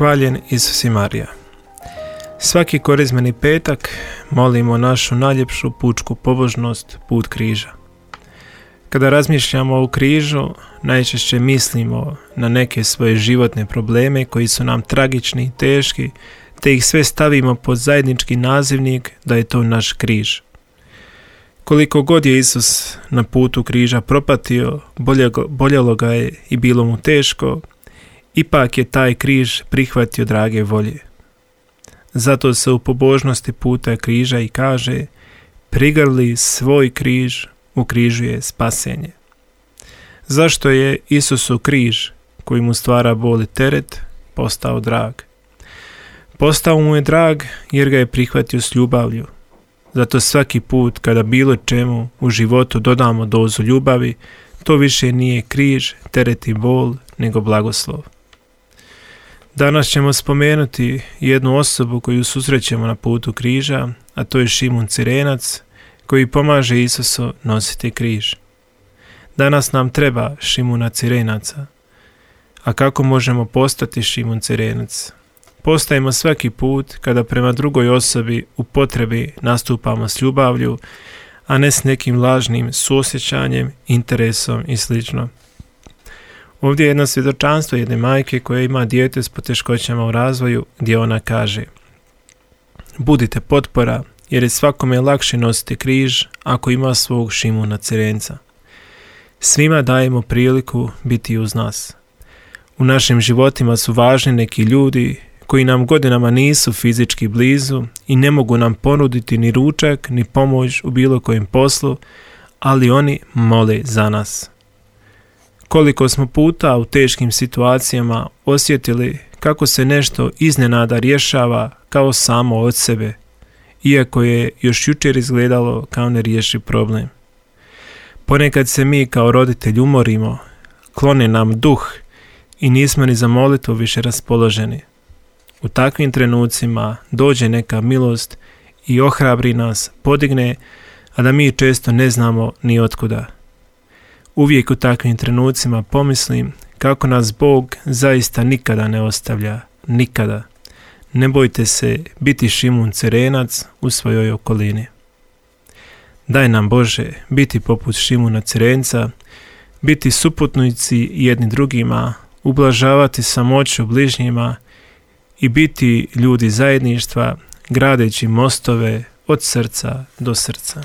Hvaljen Isus i Marija. Svaki korizmeni petak molimo našu najljepšu pučku pobožnost, put križa. Kada razmišljamo o križu, najčešće mislimo na neke svoje životne probleme koji su nam tragični i teški, te ih sve stavimo pod zajednički nazivnik da je to naš križ. Koliko god je Isus na putu križa propatio, boljelo ga je i bilo mu teško, ipak je taj križ prihvatio drage volje. Zato se u pobožnosti puta križa i kaže: prigrli svoj križ, u križu je spasenje. Zašto je Isusu križ, koji mu stvara bol i teret, postao drag? Postao mu je drag jer ga je prihvatio s ljubavlju. Zato svaki put kada bilo čemu u životu dodamo dozu ljubavi, to više nije križ, teret i bol, nego blagoslov. Danas ćemo spomenuti jednu osobu koju susrećemo na putu križa, a to je Šimun Cirenac, koji pomaže Isusu nositi križ. Danas nam treba Šimuna Cirenaca. A kako možemo postati Šimun Cirenac? Postajemo svaki put kada prema drugoj osobi u potrebi nastupamo s ljubavlju, a ne s nekim lažnim suosjećanjem, interesom i sl. Ovdje je jedno svjedočanstvo jedne majke koja ima dijete s poteškoćama u razvoju, gdje ona kaže: budite potpora, jer je svakome lakše nositi križ ako ima svog Šimuna Cirenca. Svima dajemo priliku biti uz nas. U našim životima su važni neki ljudi koji nam godinama nisu fizički blizu i ne mogu nam ponuditi ni ručak ni pomoć u bilo kojem poslu, ali oni mole za nas. Koliko smo puta u teškim situacijama osjetili kako se nešto iznenada rješava kao samo od sebe, iako je još jučer izgledalo kao nerješiv problem. Ponekad se mi kao roditelji umorimo, klone nam duh i nismo ni za molitvu više raspoloženi. U takvim trenucima dođe neka milost i ohrabri nas, podigne, a da mi često ne znamo ni otkuda. Uvijek u takvim trenucima pomislim kako nas Bog zaista nikada ne ostavlja, nikada. Ne bojte se biti Šimun Cirenac u svojoj okolini. Daj nam Bože biti poput Šimuna Cirenca, biti suputnici jedni drugima, ublažavati samoću bližnjima i biti ljudi zajedništva, gradeći mostove od srca do srca.